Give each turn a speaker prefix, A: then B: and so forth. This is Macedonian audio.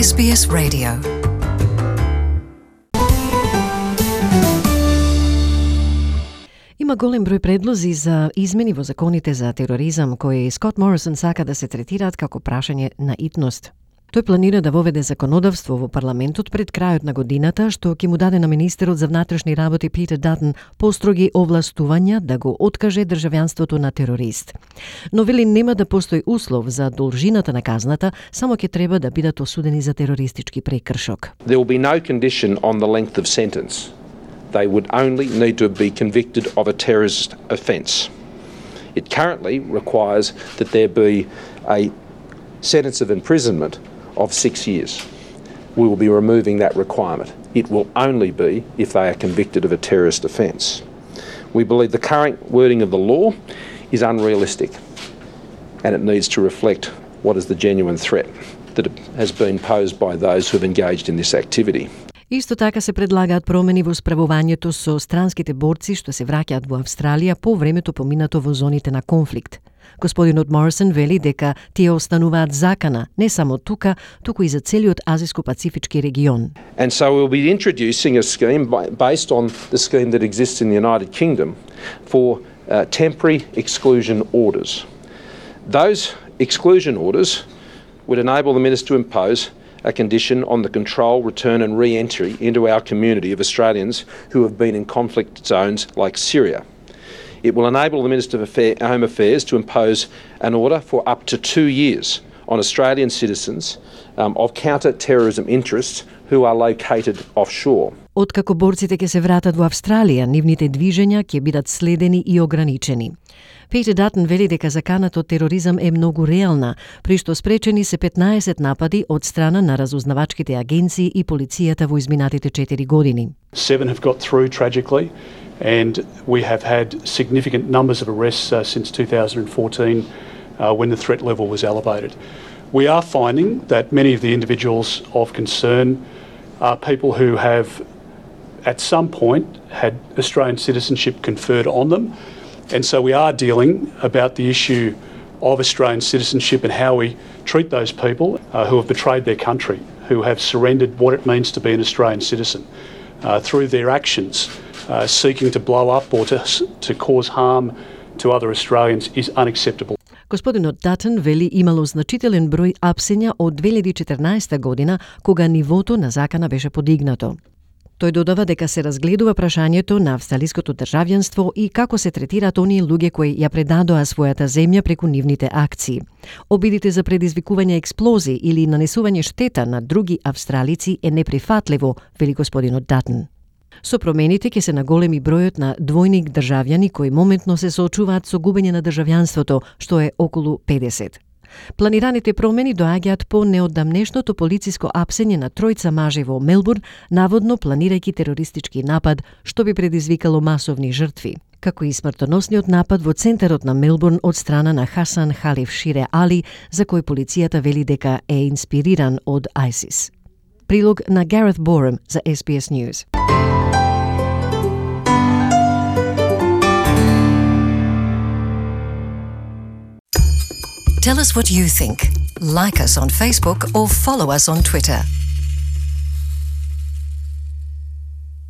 A: SBS Radio. Има голем број предлози за измени во законите за тероризам кои Скот Морисон сака да се третираат како прашање на итност. Тој планира да воведе законодавство во парламентот пред крајот на годината, што ќе му даде на министерот за внатрешни работи Питер Датон построги овластувања да го откаже државјанството на терорист. Но вели нема да постои услов за должината на казната, само ќе треба да бидат осудени за терористички прекршок.
B: There will be no condition on the length of sentence. They would only need to be convicted of a terrorist offence. It currently requires that there be a sentence of imprisonment of 6 years. We will be removing that requirement. It will only be if they are convicted of a terrorist offence. We believe the current wording of the law is unrealistic and it needs to reflect what is the genuine threat that has been posed by those who have engaged in this activity.
A: Исто така се предлагаат промени во справувањето со странските борци што се враќаат во Австралија по времето поминато во зоните на конфликт. Господинот Морисон вели дека тие остануваат закана не само тука, туку и за целиот Азиско-Пацифички регион.
B: And so we'll be introducing a scheme based on the scheme that exists in the United Kingdom for temporary exclusion orders. Those exclusion orders would enable the minister to impose a condition on the control, return and re-entry into our community of Australians who have been in conflict zones like Syria. It will enable the Minister of Home Affairs to impose an order for up to 2 years on Australian citizens of counter-terrorism interests who are located offshore.
A: Откако борците ќе се вратат во Австралија, нивните движења ќе бидат следени и ограничени. Питер Датон вели дека заканата од тероризам е многу реална, при што спречени се 15 напади од страна на разузнавачките агенции и полицијата во изминатите 4 години.
C: 7 have got through tragically, and we have had significant numbers of arrests since 2014 when the threat level was elevated. We are finding that many of the individuals of concern are people who have at some point had Australian citizenship conferred on them, and so we are dealing about the issue of Australian citizenship and how we treat those people who have betrayed their country, who have surrendered what it means to be an Australian citizen through their actions. Seeking to blow up or to cause harm to other Australians is unacceptable.
A: Господинот Датон вели имало значителен број апсења од 2014 година, кога нивото на закана беше подигнато. Тој додава дека се разгледува прашањето на австралиското државјанство и како се третираат оние луѓе кои ја предадоа својата земја преку нивните акции. Обидите за предизвикување експлозии или нанесување штета на други австралици е неприфатливо, вели господинот Датон. Со промените ќе се наголеми бројот на двојник државјани кои моментно се соочуваат со губење на државјанството, што е околу 50. Планираните промени доаѓаат по неодамнешното полициско апсење на тројца мажи во Мелбурн, наводно планирајќи терористички напад, што би предизвикало масовни жртви, како и смртоносниот напад во центарот на Мелбурн од страна на Хасан Халиф Шире Али, за кој полицијата вели дека е инспириран од ISIS. Прилог на Gareth Borum за SBS News. Tell us what you think. Like us on Facebook or follow us on Twitter.